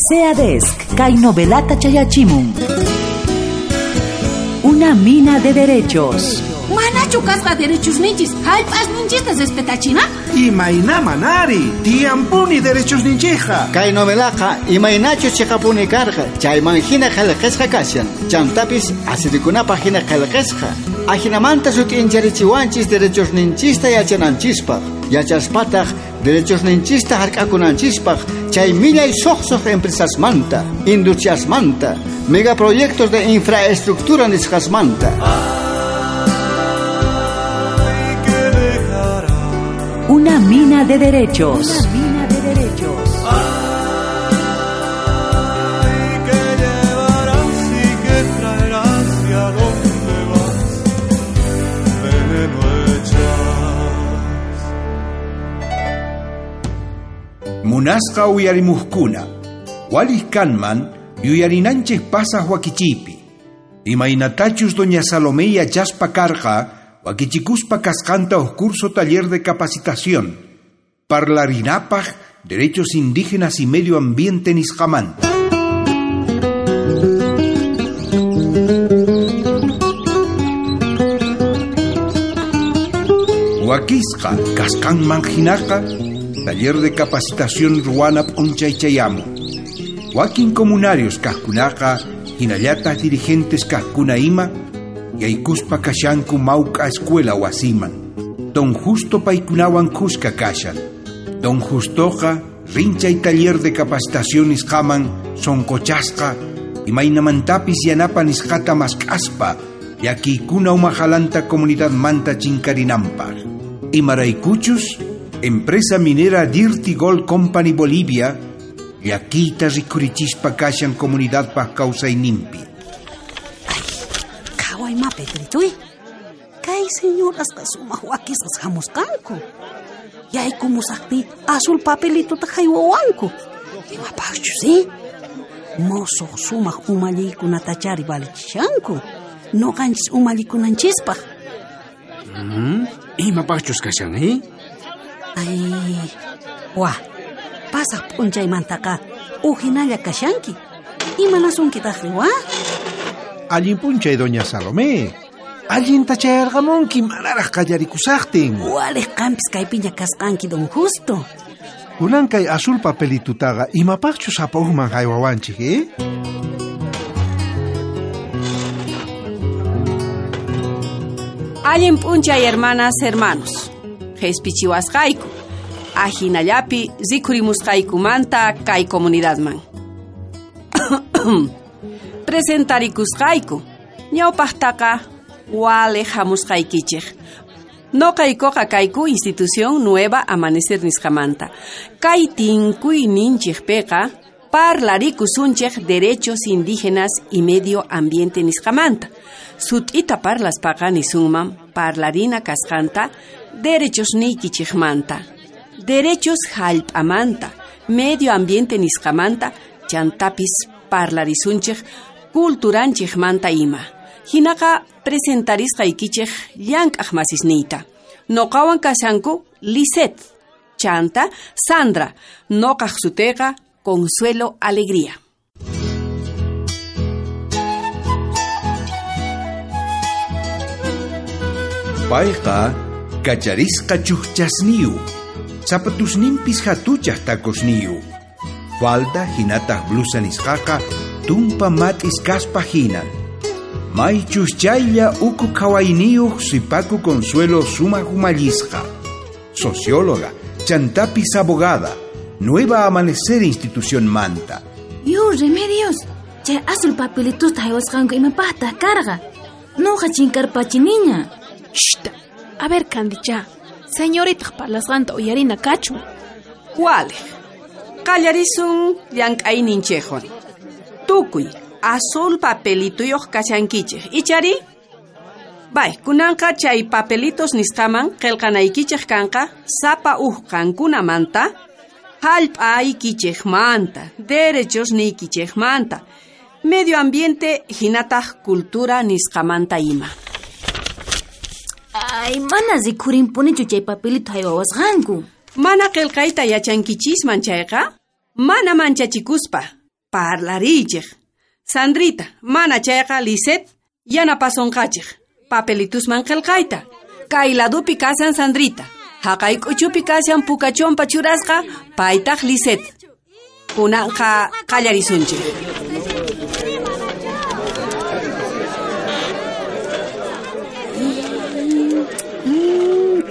SEADESC, kay novelata chayachimun. Una mina de derechos. Manachu kasqa derechos ninchis, hallp'as ninchista respetachina? Imayna manari, tiyampuni derechos ninchija. Kay novelaqa imaynachus chiqapuni karqa, chayman hina qillqasqa kashan. Chantapis asirikunapaq hina qillqasqa. Ajinamanta sut'incharichiwanchis derechos ninchista yachananchispaq. Yachaspataq derechos ninchista hark'akunanchispaq, chay millay suqsuq empresasmanta, industriasmanta, megaproyectos de infraestructura nisqasmanta. Una mina de derechos. Una mina de derechos. Ay, que llevarás y que traerás y a dónde vas, veneno echas. Munasqa uyarimuqkuna, Walih kanman yuyarinanchik pasaq wakichiypi. Imaynatachus doña Salomé yachaspa karqa, wakichikuspa kasqanta uj curso taller de capacitación, parlarinapaj derechos indígenas y medio ambiente nisqamanta. Wakisqa kasqanman hinaqa, taller de capacitación ruwana p'unchaychayamun. Wakin comunarios kajkunaqa, hinallataq dirigentes kajkuna ima, yaykuspa kashanku mawk'a escuela wasiman. Don Justo paykunawan kuska kashan. Don Justoqa rinchay taller de capacitación nisqaman sonqochasqa, imaynamantapis yanapa nisqata mask'aspa, llakiykuna umajalanta comunidad manta chinkarinanpaq. Imaraykuchus, empresa minera Dirty Gold Company Bolivia, llakiyta rikhurichispa kashan comunidadpaq kawsayninpi. Qhaway ma, Pedrituy. Kay señorasqa sumaq wakisqas hamusqanku. Yaykumusaqpi azul papelituta haywawanku. Imapaqchus, Mosuq sumaq umalliykunatachari valichishanku. Nuqanchis umallikunanchispaq. Imapaqchus kashan, Ay, wa, pasaq p'unchaymantaqa uhinalla kashanki. Imanasunkitaqri, wa? Allin p'unchay, doña Salomé. Allinta chayarqamunki manaraq qallarikusaqtin. Waliq qampis kaypiña kasqanki, don Justo. Kunan kay azul papelitutaqa imapaqchus sapa ujman haywawanchik, Allin p'unchay, hermanas, hermanos. Qhispichiwasqayku. Ajinallapi rikhurimusqaykumanta kay comunidadman. Presentarikusqayku. Ñawpaqtaqa waliq hamusqaykichik. Noqaykuqa kayku institución Nueva Amanecer nisqamanta. Kay tinkuyninchikpiqa parlarikusunchik derechos indígenas y medio ambiente nisqamanta. Sut'ita parlaspaqa nisunman parlarina kasqanta derechos niykichikmanta, derechos hallp'amanta, medio ambiente nisqamanta, chantapis parlarisunchik culturanchikmanta ima. Hinaqa presentarisqaykichik llank'aq masisniyta. Noqawan kashanku Lisette, chanta Sandra, noqaq sutiyqa Consuelo Alegría. Payqa kacharisqa chujchasniyu, zapatusninpis hatuchaq tacosniyu. Falda hinataq blusa nisqaqa tumpa mat'is kaspa hinan. Maychus chaylla uku qhawayniyuq sipaku Consuelo sumaq umallisqa. Socióloga, chantapis abogada, Nueva Amanecer institución manta. Yu, Remedios, chay azul papelitusta haywasqanku imapaqtaq karqa. Nuqa chinkarpachiniña. Shh, a ver, Candicha, señoritaq parlasqanta uyarina kachun. Waliq, qallarisun llank'ayninchikwan. Tukuy azul papelituyuq kashankichik, ichari? Bay, kunanqa chay papelitos nisqaman qillqanaykichik kanqa sapa uj qankunamanta, hallp'aykichikmanta, derechos niykichikmanta, medio ambiente hinataq cultura nisqamanta ima. Ay, mana rikhurinpunichu chay papelito haywawasqanku. Mana qillqayta yachankichisman chayqa, mana manchachikuspa. Parlariychej. Sandrita, mana chayqa Lisette yanapasonqachej. Papelitusman qillqayta. Kay ladupi kashan Sandrita. Haqay k'uchupi kashan pukachompa churasqa, paytaq Lisette. Kunanqa qallarisunchik.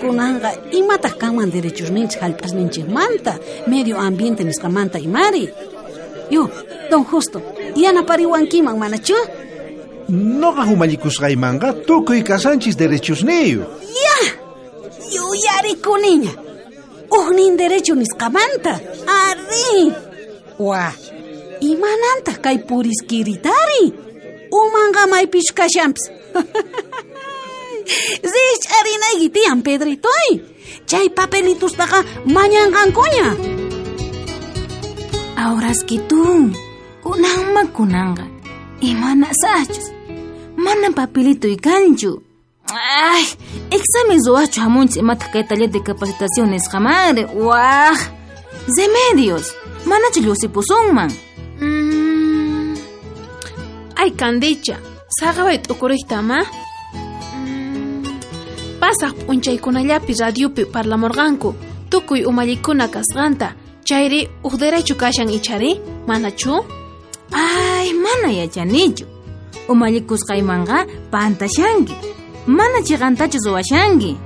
Kunanqa imataq kanman derechosninchik hallp'asninchikmanta, medio ambiente nisqamanta imari. Yo, don Justo, yanapariwankiman manachu? Noqa umallikusqaymanqa tukuy kasanchis derechosniyuq. Ya, yuyarikuniña. Ujnin derecho nisqamanta. Ari. Wa, imanantaq kay puriskiritari? Umanqa maypichu kashanpis. Rikch'arinayki tiyan, Pedritoy. Chay papelitustaqa mañanqankuña. Awraskitun, kunanma kunanqa. Imanasachus. Mana papelitoy kanchu. Ay, examen ruwachu hamunchis imataq kay taller de capacitación nisqamanri. Waj. Remedios, manachu lluqsipusunman. Ay, Candicha, saqaway t'ukuriyta ma. Pasaq p'unchaykunallapi radiopi parlamurqanku tukuy umallikuna kasqanta. Chayri uj derecho kashan ichari, manachu? Ay, mana yachanichu. Umallikusqaymanqa pantashanki. Mana chiqantachu ruwashanki.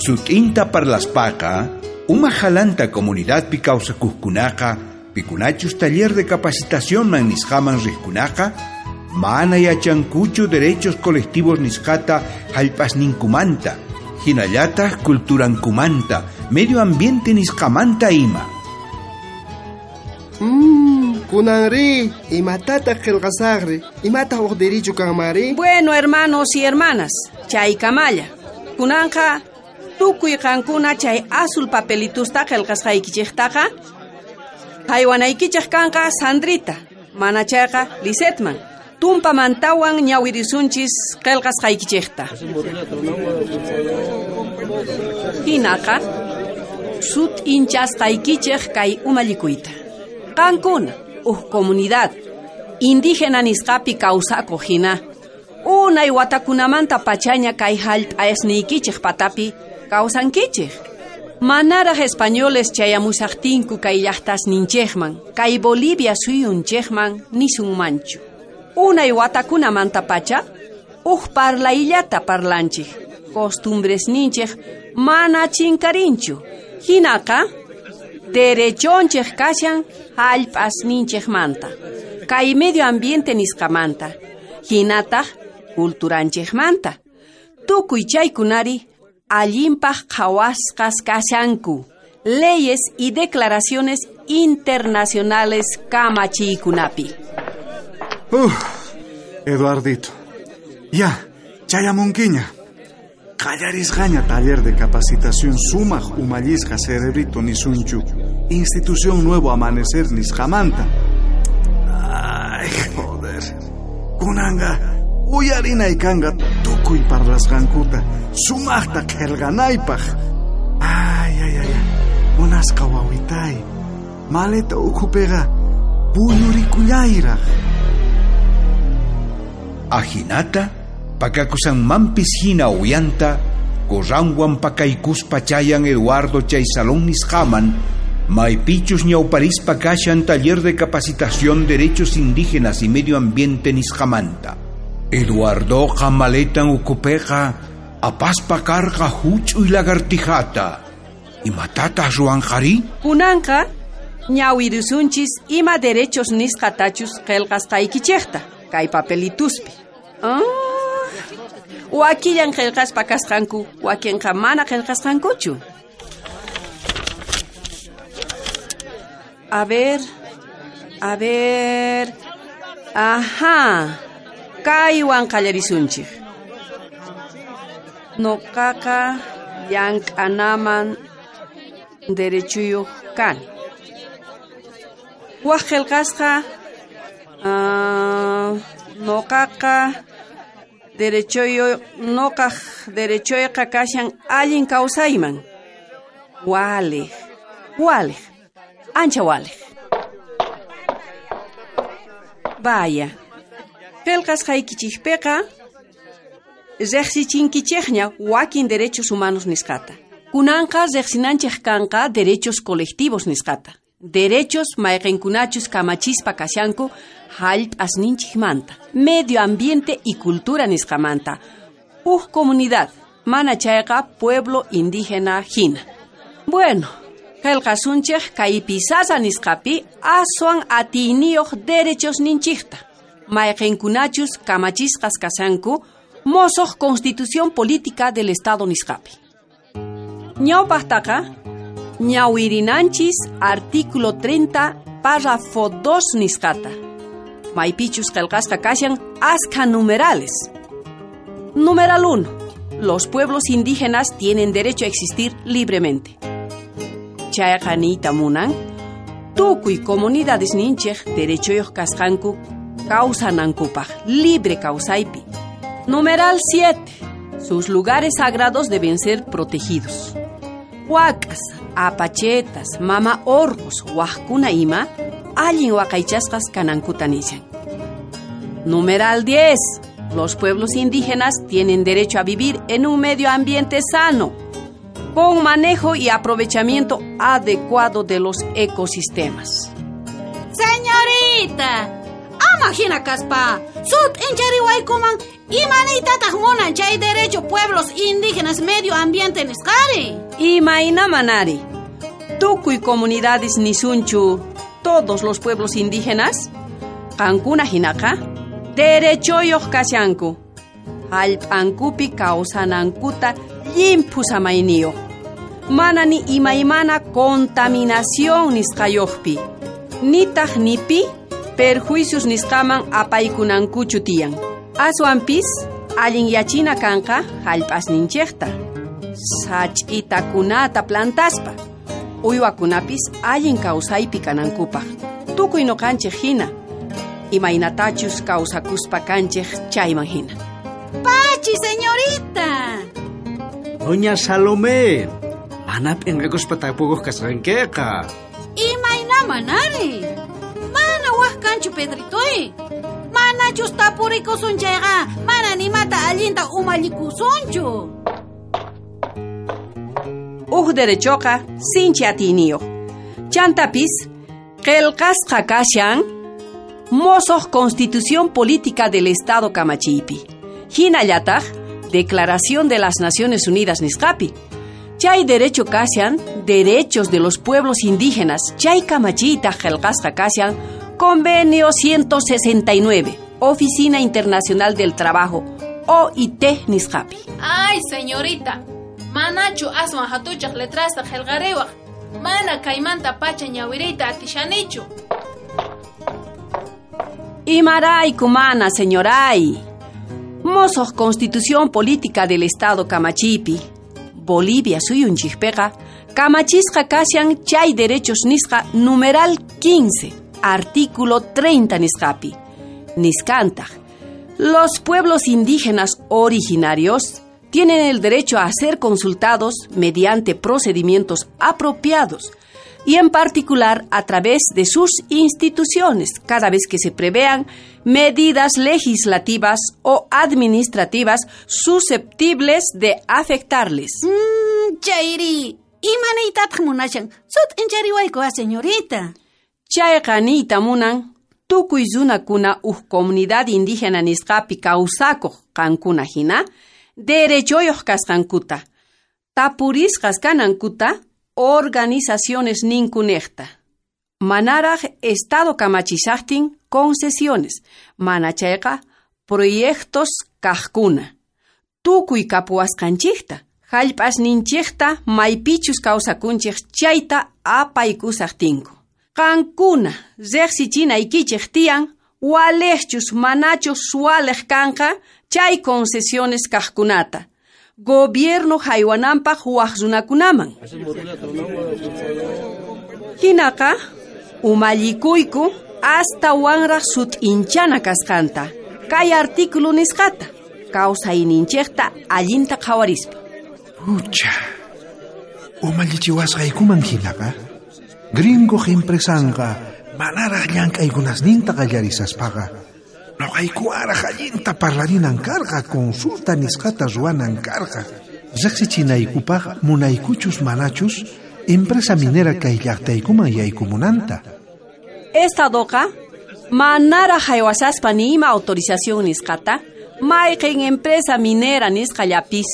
Sut'inta parlaspaqa, uma jalanta comunidadpi kawsakuqkunaqa, pikunachus taller de capacitacionman nisqaman riqkunaqa, mana yachankuchu derechos colectivos nisqata hallp'asninkumanta, hinallataq culturankumanta, medio ambiente nisqamanta ima. Kunanri, imatataq qillqasaqri, imataq uq derecho kanmari? Bueno, hermanos y hermanas, chaykamalla. Kunanqa tukuy qankuna chay azul papelitusta qillqasqaykichiktaqa haywanaykichik kanqa Sandrita, mana chayqa Lisetman. Tumpamantawan ñawirisunchis qillqasqaykichikta. Hinaqa sut'inchasqaykichik kay umallikuyta. Qankuna uj comunidad indígena nisqapi kawsakuq hina unay watakunamanta pachaña kay hallp'asniykichik patapi kawsankichik. Manaraj españoles chayamusaqtinku kay llaqtasninchikman, kay Bolivia suyunchikman nisunmanchu. Unay watakunamanta pacha uj parlayllata parlanchik, costumbresninchik mana chinkarinchu. Hinaqa derechonchik kashan hallp'asninchikmanta, kay medio ambiente nisqamanta, hinataq culturanchikmanta. Tukuy chaykunari allinpaq qhawasqas kashanku, leyes y declaraciones internacionales kamachiykunapi. Eduardito, ya, chayamunkiña. Qallarisqaña taller de capacitación sumaq umallisqa cerebrito nisunchu. Institución Nuevo Amanecer nisqamanta. Ay, joder. Kunanqa uyarinay kanqa tukuy parlasqankuta sumaqta qillqanaypaq. Ay, ay, ay. Munasqa wawitay. Maleta ukhupiqa puñurikullayraq. Ajinata, pakakusanmanpis hina uyanta, corranwan pakaykuspa chayan Eduardo chay salón nisqaman, maypichus ñawparispa kashan taller de capacitación derechos indígenas y medio ambiente nisqamanta. Eduardoqa maletan ukupeqa apaspa karqa huch'uy lagartijata. Imatataq ruwanqari? Kunanqa ñawirisunchis ima derechos nisqatachus qillqasqaykichikta kay papelituspi. Wakillan qillqaspa kasqanku, wakinqa mana qillqasqankuchu. A ver, a ver. Ajá. Kaywan qallarisunchik. Noqaqa llank'anaman derechuyuq kani. Wak qillqasqa noqaqa derechoyo noqaq derechoyqa kashan allin kawsayman. Waliq, waliq. Ancha waliq. Vaya. Qillqasqaykichikpiqa riqsichinkichikña wakin derechos humanos nisqata. Kunanqa riqsinanchik kanqa derechos colectivos nisqata. Derechos mayqinkunachus kamachispa kashanku hallp'asninchikmanta, medio ambiente y cultura nisqamanta. Uj comunidad, mana chayqa pueblo indígena hina. Bueno, qillqasunchik kay pisasa nisqapi aswan atiyniyuq derechos ninchikta. Mayqinkunachus kamachisqas kashanku mosoq Constitución Política del Estado nisqapi. Ñawpaqtaqa ñawirinanchis artículo 30 párrafo 2 nisqata. Maypichus qillqasqa kashan askha numerales. Numeral 1. Los pueblos indígenas tienen derecho a existir libremente. Chayqa niyta munan, tukuy comunidades ninchej derechoyuq kasqanku kawsanankupaq libre kawsaypi. Numeral 7. Sus lugares sagrados deben ser protegidos. Wak'as, apachetas, mama orqos, wajkuna ima, allin waqaychasqas kanankuta nishan. Numeral 10. Los pueblos indígenas tienen derecho a vivir en un medio ambiente sano, con manejo y aprovechamiento adecuado de los ecosistemas. Señorita, ama hina kaspa, sut inchariwaykuman imaniytataq munan chay derecho pueblos indígenas medio ambiente nisqari. Imaynamanari, tukuy comunidades nisunchu, todos los pueblos indígenas, qankuna hinaqa, derechoyuq kashanku, hallp'ankupi kawsanankuta llimphu samayniyuq, mana ni imaymana contaminación nisqayuqpi, nitaq nipi perjuicios nisqaman apaykunankuchu tiyan. Aswanpis allinyachina kanqa hallp'asninchikta, sach'itakunata plantaspa, uywakunapis allin kawsaypi kanankupaq, tukuy nuqanchik hina, imaynatachus kawsakuspa kanchik chayman hina. Pachi, señorita. Doña Salomé, mana p'inqakuspa tapukuq kasqankiqa. Imaynaman ari. Mana waj kanchu Pedritoy. Manachus tapurikusun chayqa, mana nimata allinta umallikusunchu. Uj derechoqa sinchi atiyniyuq. Chantapis qillqasqa kashan mosoq Constitución Política del Estado kamachiypi. Hinallataq Declaración de las Naciones Unidas nisqapi. Chay derecho kashan derechos de los pueblos indígenas. Chay kamachiyta qillqasqa kashan Convenio 169, Oficina Internacional del Trabajo, OIT nisqapi. Ay, señorita, manachu aswan hatuchaq letrasta qillqariwaq. Mana kaymanta pacha ñawiriyta atishanichu. Imarayku mana, señoray. Mosoq Constitución Política del Estado kamachiypi. Bolivia suyunchikpiqa kamachisqa kashan chay derechos nisqa numeral 15, artículo 30 nisqapi. Nisqantaq, los pueblos indígenas originarios tienen el derecho a ser consultados mediante procedimientos apropiados y en particular a través de sus instituciones cada vez que se prevean medidas legislativas o administrativas susceptibles de afectarles. Chayri, imaniytataq munashan, sut inchariwayku a señorita. Chayqa niyta munan tukuy runakuna uj comunidad indígena nisqapi kawsakuq qankuna hina derechoyuq kasqankuta, tapurisqas kanankuta organizaciones ninkunejta. Manaraj Estado kamachishaqtin concesiones, mana chayqa proyectos kaqkuna. Tukuy kapuwasqanchikta, hallp'asninchikta maypichus kawsakunchik chayta apaykusaqtinku. Qankuna riqsichinaykichik tiyan waliqchus manachus suwaliq kanqa chay concesiones kaqkunata. Gobierno haywananpaq waj runakunaman. Hinaqa umallikuyku astawanraq sut'inchana kasqanta kay artículo nisqata kawsayninchikta allinta qhawarispa. Pucha, umallichiwasqaykuman hinaqa Gringo empresanqa manaraj llank'aykunasninta qallarisaspaqa noqaykuwaraj allinta parlarinan karqa, consulta nisqata ruwanan karqa. Riqsichinaykupaq munaykuchus manachus empresa minera kay llaqtaykuman yaykumunanta. Estadoqa manaraj haywasaspa ni ima autorización nisqata, mayqin empresa minera nisqallapis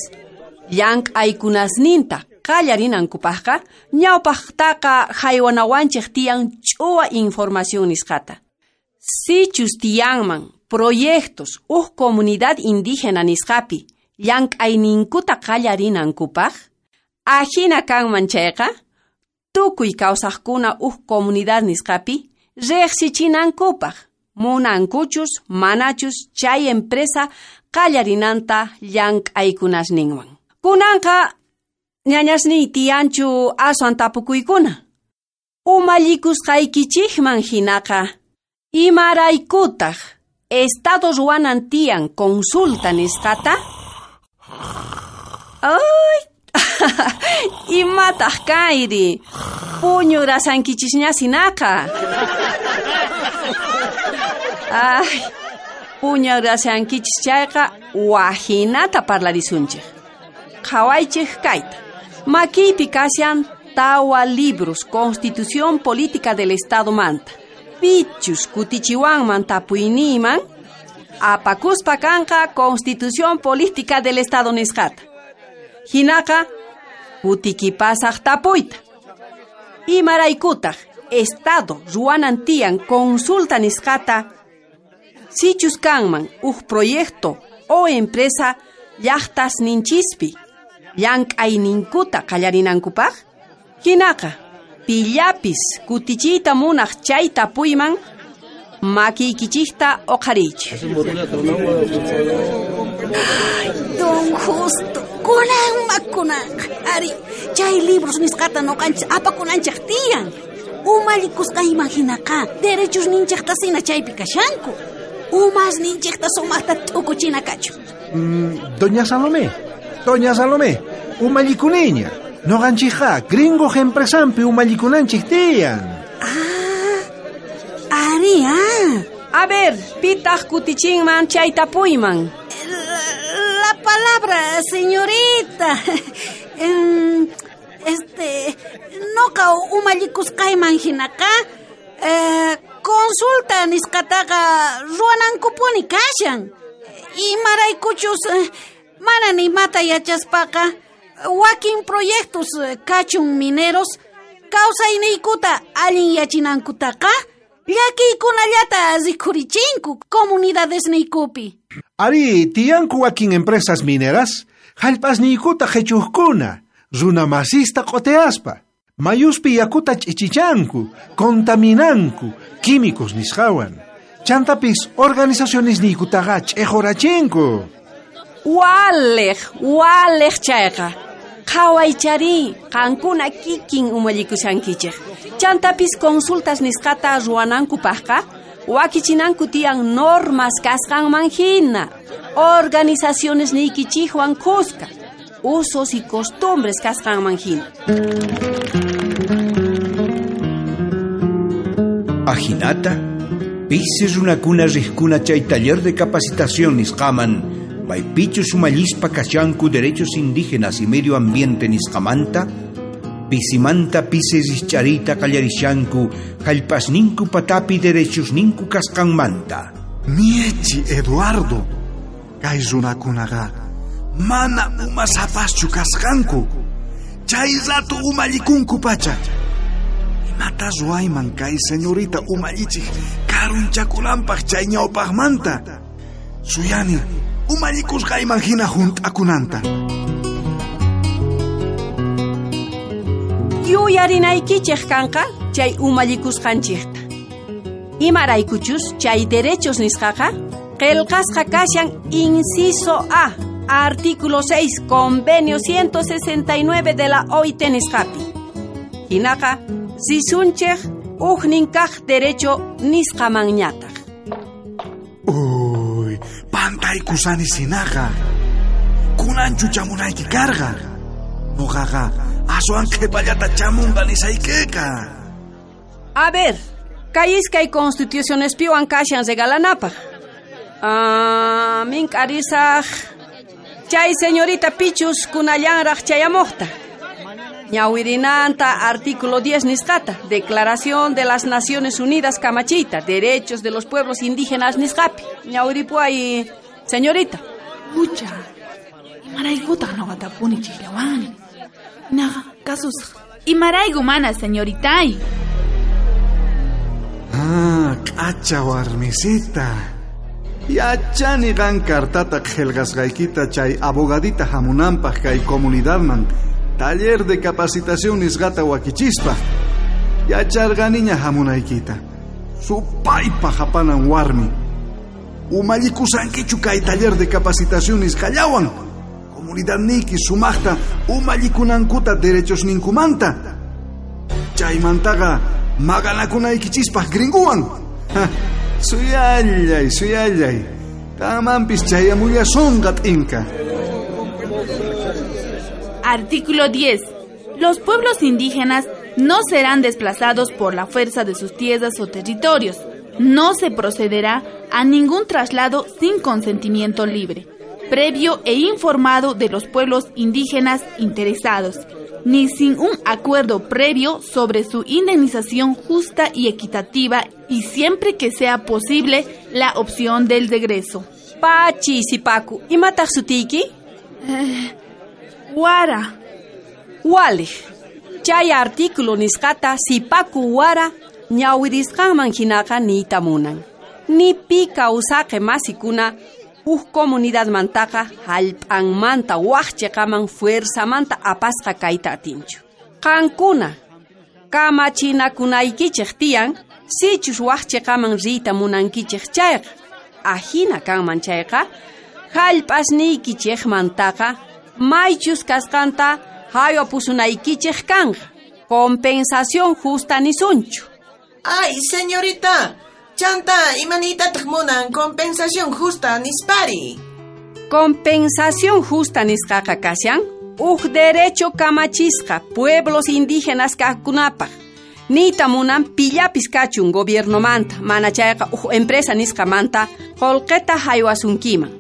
llank'aykunasninta qallarinankupaqqa ñawpaqtaqa haywanawanchik tiyan ch'uwa información nisqata. Sichus tiyanman proyectos uj comunidad indígena nisqapi llank'ayninkuta qallarinankupaq, ajina kanman chayqa, tukuy kawsaqkuna uj comunidad nisqapi riqsichinankupaq, munankuchus manachus chay empresa qallarinanta llank'aykunasninwan. Kunanqa ñañasniy tiyanchu aswan tapukuykuna. Umallikusqaykichikman hinaqa, imaraykutaq Estado ruwanan tiyan consulta nisqata? Ay, imataq kayri, puñurasankichisña sinaqa. Ay, puñurasankichis chayqa wajinata parlarisunchik. Qhawaychik kayta. Makiypi kashan tawa libros Constitución Política del Estado manta. Pichus kutichiwanman tapuyniyman, apakuspa kanqa Constitución Política del Estado nisqata. Hinaqa kutikipasaq tapuyta. Imaraykutaq Estado ruwanan tiyan consulta nisqata, sichus kanman uj proyecto o empresa llaqtasninchispi llank'ayninkuta qallarinankupaq? Hinaqa pillapis kutichiyta munaq chay tapuyman makiykichikta uqhariychik. Don Justo, kunanma kunanqa. Ari, chay libros nisqata noqanchis apakunanchik tiyan. Umallikusqayman hinaqa derechos ninchiktasina chaypi kashanku. Umas ninchikta sumaqta t'ukuchina kachu. Doña Salomé, umallikuniña. Noqanchikqa gringo empresampi umallikunanchik tiyan. Ah, ari, ah. A ver, pitaq kutichinman chay tapuyman. La palabra, señorita. Noqa umallikusqayman hinaqa, consulta nisqataqa ruwanankupuni kashan. Imaraykuchus mana ni imata yachaspaqa wakin proyectos kachun mineros kawsayniykuta allin yachinankutaqa llakiykunallata rikhurichinku comunidadesniykupi. Ari, tiyanku wakin empresas mineras hallp'asniykuta qhichuqkuna, runa masista q'uteaspa, mayuspi yakuta ch'ichichanku, contaminanku químicos nisqawan. Chantapis organizacionesniykutaqa ch'iqurachinku. Waliq chayqa. Qhawaychari, qankuna kikin umallikushankichik. Chantapis consultas nisqata ruwanankupaqqa, wakichinanku tiyan normas kasqanman hina, organizaciones niykichikwan kuska, usos y costumbres kasqanman hina. Ajinata, pisi runakuna riqkuna chay taller de capacitación nisqaman, maypichus umallispa kashanku derechos indígenas y medio ambiente nisqamanta, pisimanta pisi rischarita qallarishanku hallp'asninku patapi derechosninku kasqanmanta. Miechi Eduardo, kay runakunaqa mana umasapaschu kasqanku, chay rato umallikunku pacha. Imata ruwayman kay señorita umallichik karunchakunanpaq chay ñawpaqmanta. Suyani umallikusqayman hina hunt'akunanta. Yuyarinaykichik kanqa chay umallikusqanchikta. Imaraykuchus chay derechos nisqaqa qillqasqa kashan inciso A, artículo 6, convenio 169 de la OIT nisqapi. Hinaqa risunchik ujnin kaq derecho nisqamanñataq. Uy, pantaykusani sinaqa. Kunanchu chamunayki karqa. Noqaqa aswan qhipallata chamunqa nisaykiqa. A ver, kay iskay constitucionespiwan kashan regalanapaj. Ah, mink'arisaj chay señorita pichus kunallanraj chayamojta. Ñawirinanta artículo 10 nisqata, Declaración de las Naciones Unidas kamachiyta, Derechos de los Pueblos Indígenas nisqapi. Ñawiripuay, señorita. Ucha, imaraykutaq noqatapuni chikllawani. Naqa, kasusaq. Imarayku mana, señoritay. Ah, k'acha warmisita. Yachani qan cartata qillqasqaykita chay abogadita hamunanpaq kay comunidadman taller de capacitación nisqata wakichispa. Yacharqaniña hamunaykita. Supaypa hapanan warmi. Umallikusankichu kay taller de capacitación nisqallawan. Comunidadniyki sumaqta umallikunankuta derechos ninkumanta. Chaymantaqa maqanakunaykichispaq gringuwan. Suyallay, suyallay. Qanmanpis chayamullasunqa t'inka. Artículo 10. Los pueblos indígenas no serán desplazados por la fuerza de sus tierras o territorios. No se procederá a ningún traslado sin consentimiento libre, previo e informado de los pueblos indígenas interesados, ni sin un acuerdo previo sobre su indemnización justa y equitativa y siempre que sea posible la opción del regreso. Pachi, sipaku, imataq sutiyki? Wara. Walej. Chay artículo nisqata sipaku wara ñawirisqanman hinaqa niyta munan. Ni pi kawsaqe masikuna huk comunidadmantaqa hallp'anmanta waj chiqaman fuerzamanta apasqa kayta atinchu. Qankuna kamachinakunaykichik tiyan sichus waj chiqaman riyta munankichik chayqa. Ajina kanman chayqa hallp'asniykichikmantaqa maychus kasqanta haywapusunaykichik kanqa. Compensación justa nisunchu. Ay, señorita, chanta imanitataq munan compensación justa nispari. Compensación justa nisqaqa kashan uj derecho kamachisqa pueblos indígenas kaqkunapaq. Niyta munan pillapis kachun gobiernomanta, mana chayqa uj empresa nisqamanta qullqita haywasunkiman.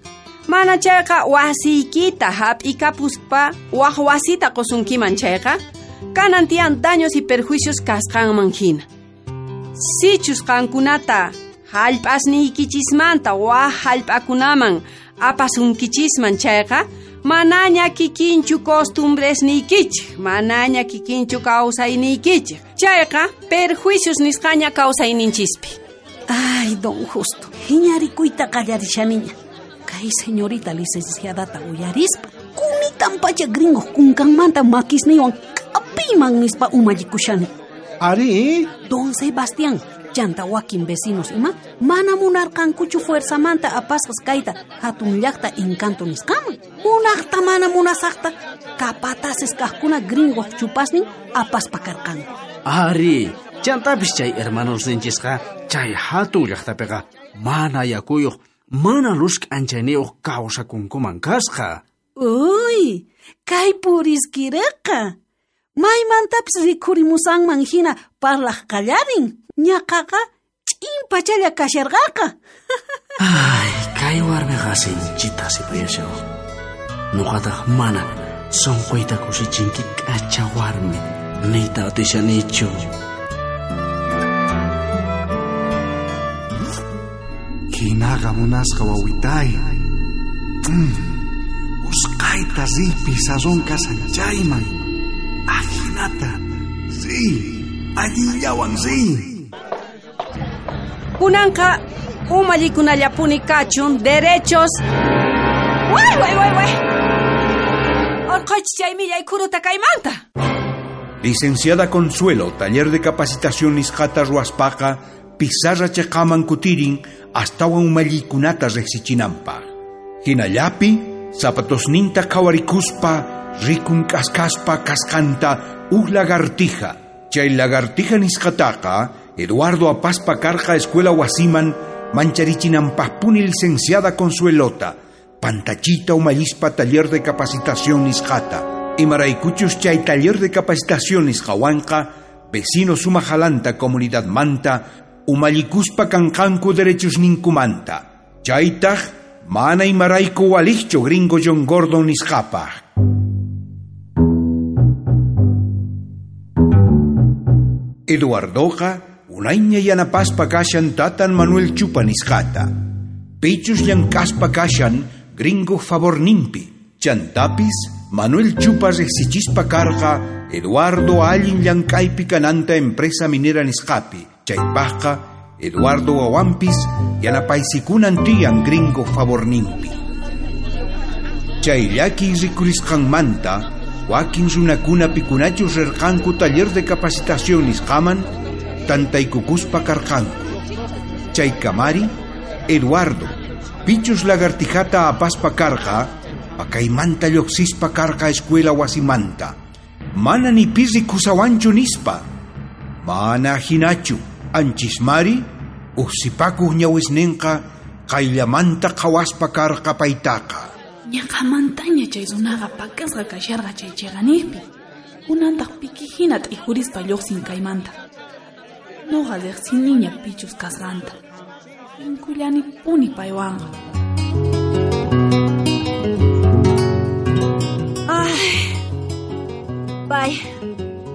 Mana chayqa wasiykita hap'ikapuspa waj wasita qusunkiman chayqa, kanan tiyan daños y perjuicios kasqanman hina. Sichus qankunata hallp'asniykichismanta waj hallp'akunaman apasunkichisman chayqa, manaña kikinchu costumbresniykichik, manaña kikinchu kawsayniykichik. Chayqa perjuicios nisqaña kawsayninchispi. Ay, don Justo, hiñarikuyta qallarishaniña. Kay señorita licenciadata uyarispa, kunitan pacha gringo kunkanmanta makisniywan k'apiyman nispa umallikushani. Ari? Don Sebastián, chanta wakin vecinos ima, mana munarqankuchu fuerzamanta apasqas kayta hatun llaqta encanto nisqaman. Munaqta mana munasaqta, capataces kaqkuna gringo chupasnin apaspa karqanku. Ari, chantapis chay hermanos ninchisqa, chay hatun llaqtapiqa mana yakuyuq, mana luz k'anchayniyuq kawsakunkuman kasqa. Uy, kay puriskireqa. Maymantapis rikhurimusanman hina parlaq qallarin. Ñaqaqa ch'in pachalla kasharqaqa. Ay, kay warmiqa sinchita sipayashaw. Nuqataq mana sunquyta kusichinki k'acha warmi niyta atishanichu. Hinaqa munasqa wawitay. Usqayta riy pizarrón kasan chayman. Ajinata, riy, allillawan riy. Kunanqa umallikunallapuni kachun derechos. Way, way, way, way. Orqoch chay millay khuruta kaymanta. Licenciada Consuelo, taller de capacitación nisqata ruwaspaqa, pizarra chiqaman kutirin astawan umallikunata riqsichinanpaq. Hinallapi, zapatosninta qhawarikuspa, rikun k'askaspa kasqanta uj lagartija. Chay lagartija nisqataqa, Eduardo apaspa karqa escuela wasiman mancharichinanpaqpuni licenciada Consuelota, pantachita umallispa taller de capacitación nisqata. Imaraykuchus chay taller de capacitación nisqawanqa vecino sumajalanta comunidad manta, umallikuspa kanqanku derechos ninkumanta. Chaytaj mana imarayku walijchu gringo John Gordon nisqapaj. Eduardoqa unayña yanapaspa kashan tatan Manuel Chupa nisqata. Pichus llank'aspa kashan gringo favorninpi. Chantapis Manuel Chupa riqsichispa karqa Eduardo allin llank'aypi kananta empresa minera nisqapi. Chaypaqqa Eduardo wawanpis yanapaysikunan tiyan gringo favorninpi. Chay llakiy rikurisqanmanta wakin runakuna pikunachus rirqanku taller de capacitación nisqaman tantaykukuspa karqanku. Chay kamari Eduardo pichus lagartijata apaspa karqa pakaymanta lluqsispa karqa escuela wasimanta. Mana ni pi rikusawanchu nispa. Mana hinachu anchismari uqsipakuq ñawisninqa qayllamanta qhawaspa karqa paytaqa. Ñaqamantaña chay runaqa pakasqa kasharqa chay chiqaniqpi. Kunantaq pikihina t'ijurispa lluqsin kaymanta. Noqa riqsiniña pichus kasqanta. Tinkullanipuni paywanqa. Ay, pay,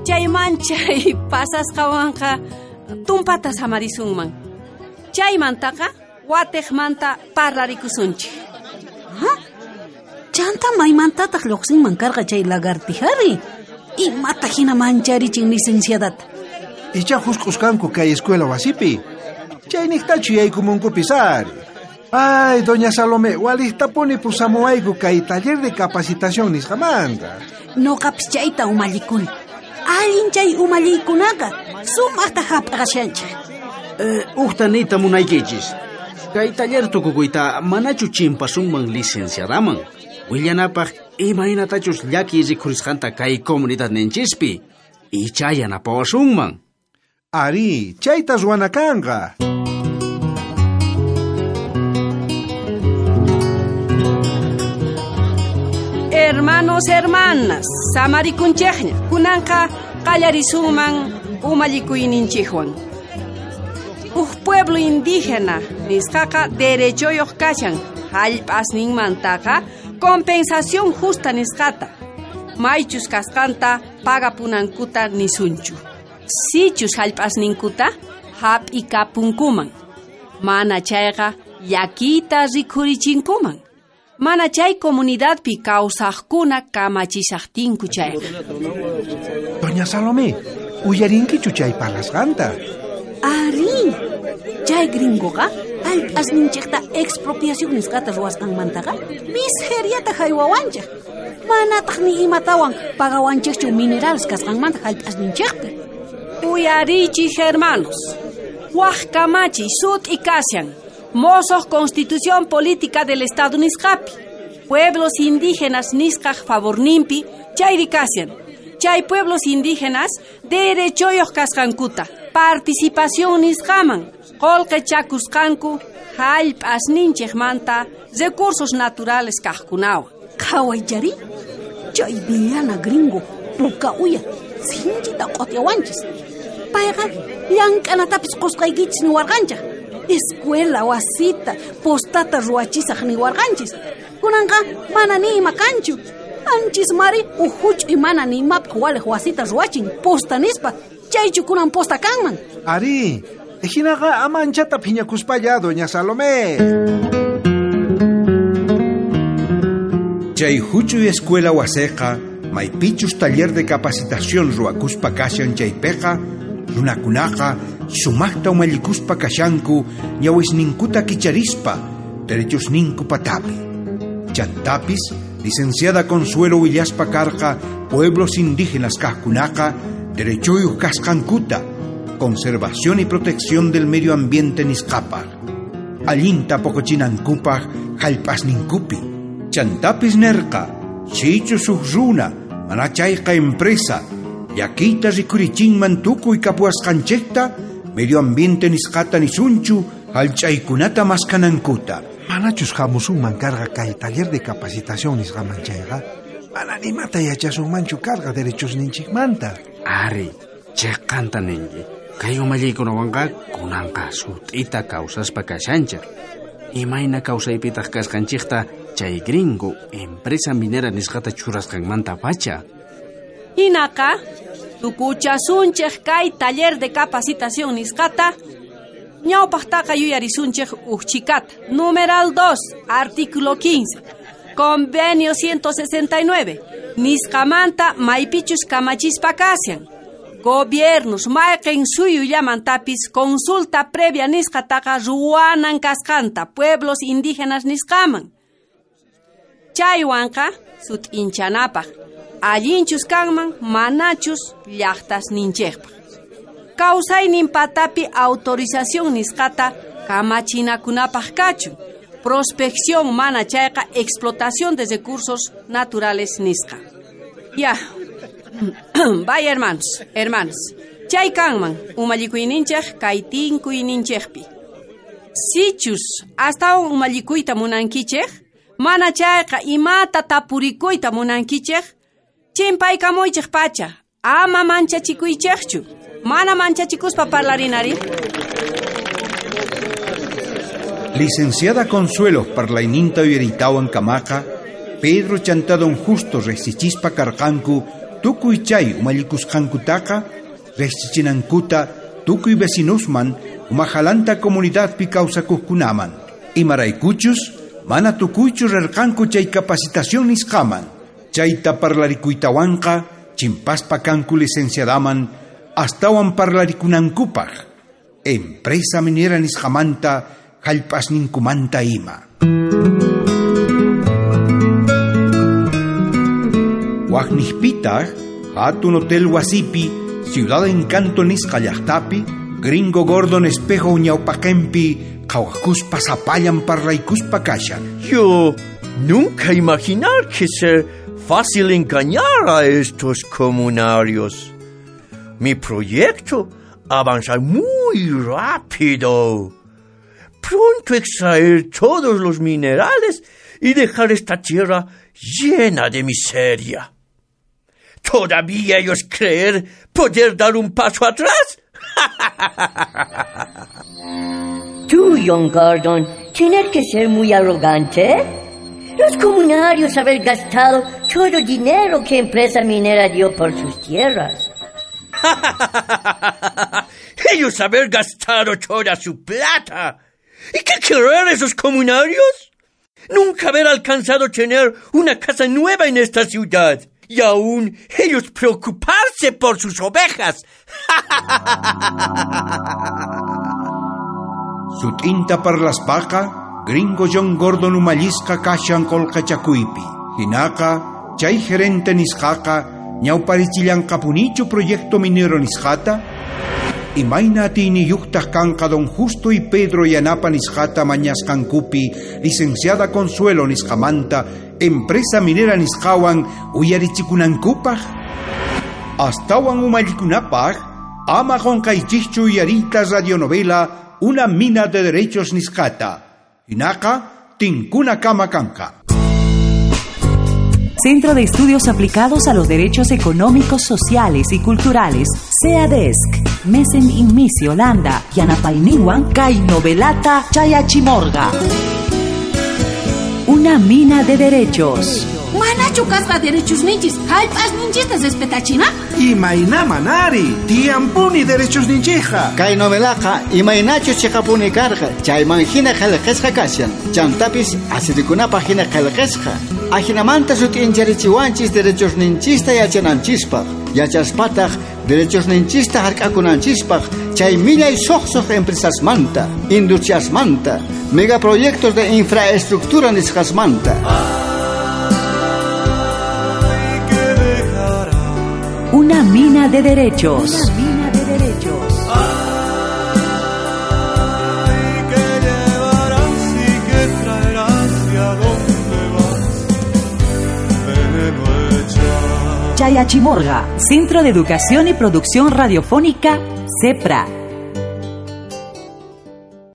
chay manchay pasasqawanqa tumpata samarisunman. Chaymantaqa watiqmanta parlarikusunchik. Ha? Chanta maymantataq lluqsinman karqa chay lagartijari. Imata hina mancharichin licenciadata. Icha husq'usqanku kay escuela wasipi. Chayniqtachu yaykumunkupis ari. Ay, doña Salomé, waliqtapuni pusamuwayku kay taller de capacitación nisqamanta. Noqapis chayta umallikuni. Allin chay umalliykunaqa sumaqta hap'aqashanchik. Uqta niyta munaykichis. Kay taller tukukuyta manachu chimpasunman licenciadaman. Willanapaq imaynatachus llakiy rikhurisqanta kay comunidadninchispi. Icha yanapawasunman. Ari, chayta ruwana kanqa. Hermanos, hermanas, samarikunchikña. Kunanqa qallarisunman umallikuyninchikwan. Uj pueblo indígena nisqaqa derechoyuq kashan hallp'asninmantaqa compensación justa nisqata. Maychus kasqanta pagapunankuta nisunchu. Sichus hallp'asninkuta hap'ikapunkuman. Mana chayqa llakiyta rikhurichinkuman. Mana chay comunidadpi kawsaqkuna kamachishaqtinku chayqa. Doña Salomé, uyarinkichu chay parlasqanta? Ari, chay gringoqa hallp'asninchikta expropiación nisqata ruwasqanmantaqa miseriata haywawanchik. Manataq ni imatawan pagawanchikchu minerales kasqanmanta hallp'asninchikpi. Uyarichik hermanos, waj kamachiy sut'i kashan. Mosoq Constitución Política del Estado nisqapi. Pueblos indígenas nisqaj favorninpi chayri kashan. Chay pueblos indígenas derechoyuq kasqankuta participación nisqaman qullqi chakusqanku hallp'asninchikmanta recursos naturales kaqkunawan. Qhawaychari, chay villana gringo puka uya sinchita q'utyawanchis. Payqa llank'anatapis qusqaykichis niwarqanchik. Escuela wasita postata ruwachisaq niwarqanchis. Kunanqa mana ni ima kanchu. Anchis mari uj huch'uy mana ni imapaq waliq wasita ruwachin posta nispa. Chaychu kunan posta kanman. Ari, hinaqa ama anchata phiñakuspalla, doña Salomé. Chay huch'uy escuela wasiqa maypichus taller de capacitación ruwakuspa kashan chaypiqa runakunaqa sumaqta umallikuspa kashanku ñawisninkuta kicharispa derechosninku patapi. Chantapis licenciada Consuelo willaspa karqa pueblos indígenas kaqkunaqa derechoyuq kasqankuta conservación y protección del medio ambiente nisqapaq. Allinta poqochinankupaq hallp'asninkupi. Chantapis nerqa sichus huk runa mana chayqa empresa llakiyta rikurichinman tukuy kapuwasqanchikta medio ambiente nisqata nisunchu hallch'aykunata maskanankuta. Manachus hamusunman karqa kay taller de capacitación nisqaman chayqa mana nimata yachasunmanchu karqa derechosninchikmanta. Ari, Chiqanta ninki. Kay umalliykunawanqa kunanqa sut'ita kawsaspa kashanchik. Imayna kawsaypitaq kasqanchikta chay gringo empresa minera nisqata churasqanmanta pacha. Hinaqa tukuchasunchik kay taller de capacitación nisqata. Ñawpaqtaqa yuyarisunchik uj chikata. Numeral 2, artículo 15. Convenio 169. Nisqamanta maypichus kamachispa kashan. Gobiernos mayqin suyullamantapis consulta previa nisqataqa ruwanan kasqanta pueblos indígenas nisqaman. Chaywanqa sut'inchanapaq allinchus kanman manachus llaqtasninchikpaq. Kawsaynin patapi autorización nisqata kamachinakunapaq kachun. Prospección mana chayqa explotación de recursos naturales nisqa. Ya. Vaya hermanos, hermanas. Chay kanman umallikuyninchik kay tinkuyninchikpi. Sichus astawan umallikuyta munankichik, mana chayqa imata tapurikuyta munankichik, chimpaykamuychik pacha, ama manchachikuychikchu. Mana manchachikuspa parlarinari. Licenciada Consuelo parlayninta uyaritawan kamaqa, Pedro chanta don Justo riqsichispa karqanku tukuy chay umallikusqankutaqa riqsichinankuta tukuy vecinusman umajalanta comunidadpi kawsakuqkunaman. Imaraykuchus mana tukuychu rirqanku chay capacitación nisqaman. Chayta parlarikuytawanqa chimpaspa kanku licenciadaman astawan parlarikunankupaq. Empresa minera nisqamanta jallp'asninkumanta ima. Waqniqpitaq hatun hotel wasipi Ciudad Encanto nisqa llaqtapi Gringo Gordon espejo ñawpaqenpi qhawakuspa sapallan parlaykuspa kashan. Yo nunca imaginar que ser fácil engañar a estos comunarios. Mi proyecto avanza muy rápido. Pronto extraer todos los minerales y dejar esta tierra llena de miseria. ¿Todavía ellos creer poder dar un paso atrás? Tú, John Gordon, tener que ser muy arrogante. Los comunarios haber gastado todo el dinero que empresa minera dio por sus tierras. Ellos haber gastado toda su plata. ¿Y qué querer esos comunarios? Nunca haber alcanzado tener una casa nueva en esta ciudad. Y aún ellos preocuparse por sus ovejas. Sut'inta parlaspaqa, Gringo John Gordon umallisqa kashan qolqachakuypi. Hinaqa, chay gerente nisqaqa, ñawparichillanqapunichu proyecto minero nisqata? Imayna atiyniyuqtaq kanqa don Justo y Pedro yanapa nisqata mañasqankupi licenciada Consuelo nisqamanta empresa minera nisqawan uyarichikunankupaq? Astawan umallikunapaq ama qunqaychikchu uyariyta radionovela Una mina de derechos nisqata. Hinaqa tinkuna kama kanqa. Centro de Estudios Aplicados a los Derechos Económicos, Sociales y Culturales, CEADESC, Mesen Inmisi, Holanda, Yanapayninwan, kay novelata Chayachimorga. Una mina de derechos. Manachu kasqa derechos ninchis, jallp'as ninchista respetachina? Imayna manari, tiyampuni derechos ninchija. Kay novelaqa imaynachus chiqapuni karqa, chayman hina qillqasqa kashan. Chantapis asirikunapaq hina qillqasqa. Ajinamanta sut'incharichiwanchis derechos ninchista yachananchispaq. Yachaspataq derechos ninchista hark'akunanchispaq chay millay suqsuq empresasmanta, industriasmanta, megaproyectos de infraestructura nisqasmanta. Una mina de derechos. Una mina de derechos. Ay, que llevarás y que traerás y a dónde vas, veneno echas. Chayachimorga, Centro de Educación y Producción Radiofónica, CEPRA.